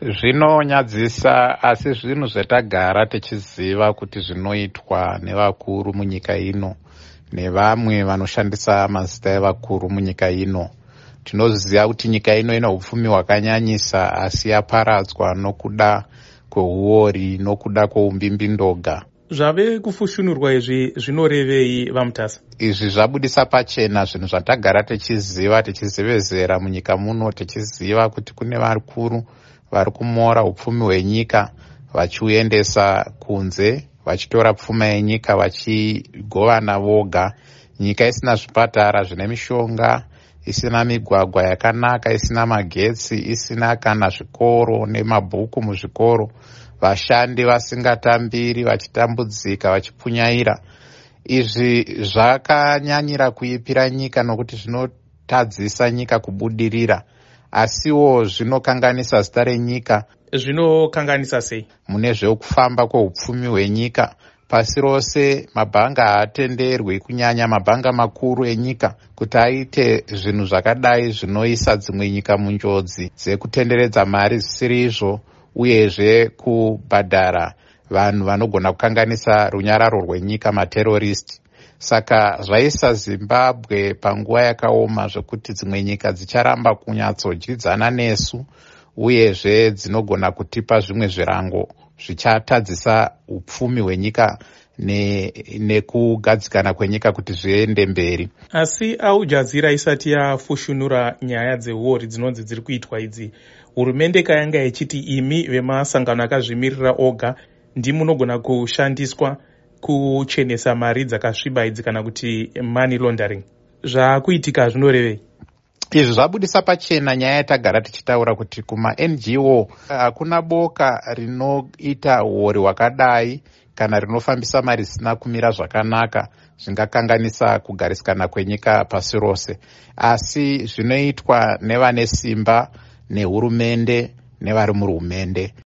Zvinonyadzisa, asi zvinhu zvatagara tichiziva kuti zvinoitwa nevakuru munyika ino nevamwe vanoshandisa mazita evakuru munyika ino. Tinoziva kuti nyika ino ine upfumi hwakanyanyisa, asi yaparadzwa nokuda kweuori, nokuda kweumbimbindoga. Zvave kufushunurwa izvi zvinorevei, VaMutasa? Izvi zvabudisa pachena zvinhu zvatagara tichiziva, tichizevezera munyika muno, tichiziva kuti kune vakuru vari kumora upfumi hwenyika vachiuendesa kunze, vachitora pfuma yenyika vachigovana voga. Nyika isina zvipatara zvine mishonga, isina migwagwa yakanaka, isina magetsi, isina kana zvikoro nemabhuku muzvikoro, vashandi vasingatambiri, vachitambudzika, vachipunyaira. Izvi zvakanyanyira kuipira nyika nokuti zvinotadzisa nyika kubudirira, asiwo zvinokanganisa zita renyika. Zvinokanganisa sei? Mune zvekufamba kweupfumi hwenyika pasi rose, mabhanga haatenderwi, kunyanya mabhanga makuru enyika, kuti aite zvinhu zvakadai zvinoisa dzimwe nyika munjodzi dzekutenderedza mari zvisiri izvo, uyezve kubhadhara vanhu vanogona kukanganisa runyararo rwenyika, materorist. Saka zvaisa Zimbabwe panguva yakaoma zvekuti dzimwe nyika dzicharamba kunyatsodyidzana nesu, uyezve dzinogona kutipa zvimwe zvirango zvichatadzisa upfumi hwenyika nekugadzikana kwenyika kuti zviende mberi. Asi Al Jazeera isati yafushunura nyaya dzeuori dzinonzi dziri kuitwa idzi, hurumende kayanga ichiti imi vemasangano akazvimirira oga ndimunogona kushandiswa kuchenesa mari dzakasviba idzi, kana kuti money laundering. Zvaakuitika zvinorevei? Izvi zvabudisa pachena nyaya yatagara tichitaura kuti kuma-NGO hakuna boka rinoita uori hwakadai kana rinofambisa mari zisina kumira zvakanaka zvingakanganisa kugarisikana kwenyika pasi rose, asi zvinoitwa nevane simba nehurumende nevari muhurumende.